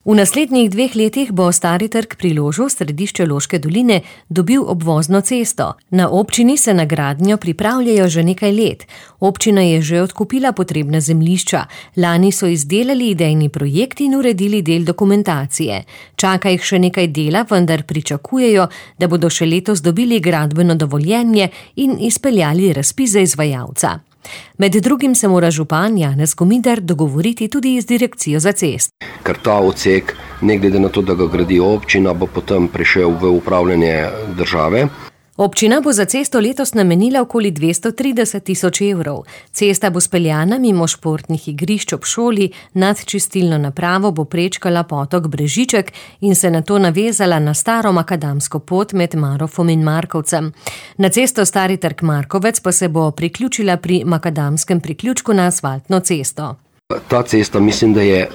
V naslednjih 2 letih bo Stari trg pri Ložu, središče Loške doline, dobil obvozno cesto. Na občini se na gradnjo pripravljajo že nekaj let. Občina je že odkupila potrebna zemljišča. Lani so izdelali idejni projekt in uredili del dokumentacije. Čaka jih še nekaj dela, vendar pričakujejo, da bodo še letos dobili gradbeno dovoljenje in izpeljali razpis za izvajalca. Med drugim se mora župan Janez Komider dogovoriti tudi z direkcijo za cest. Ker ta odsek, ne glede na to, da ga gradi občina, bo potem prišel v upravljanje države. Občina bo za cesto letos namenila okoli 230 tisoč evrov. Cesta bo speljana mimo športnih igrišč ob šoli, nad čistilno napravo bo prečkala potok Brežiček in se nato navezala na staro makadamsko pot med Marofom in Markovcem. Na cesto Stari trg Markovec pa se bo priključila pri makadamskem priključku na asfaltno cesto. Ta cesta mislim, da je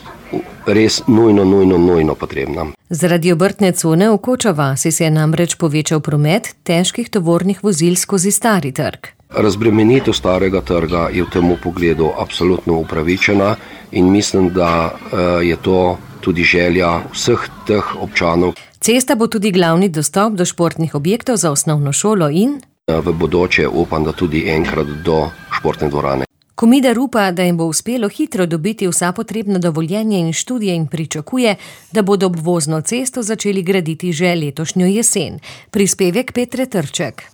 res nujno potrebna. Zaradi obrtne cone v Koča vasi se je namreč povečal promet težkih tovornih vozil skozi Stari trg. Razbremenitev Starega trga je v tem pogledu absolutno upravičena in mislim, da je to tudi želja vseh teh občanov. Cesta bo tudi glavni dostop do športnih objektov za osnovno šolo in v bodoče upam, da tudi enkrat do športne dvorane. Komider upa, da jim bo uspelo hitro dobiti vsa potrebna dovoljenja in študije in pričakuje, da bodo obvozno cesto začeli graditi že letošnjo jesen. Prispevek Petre Trček.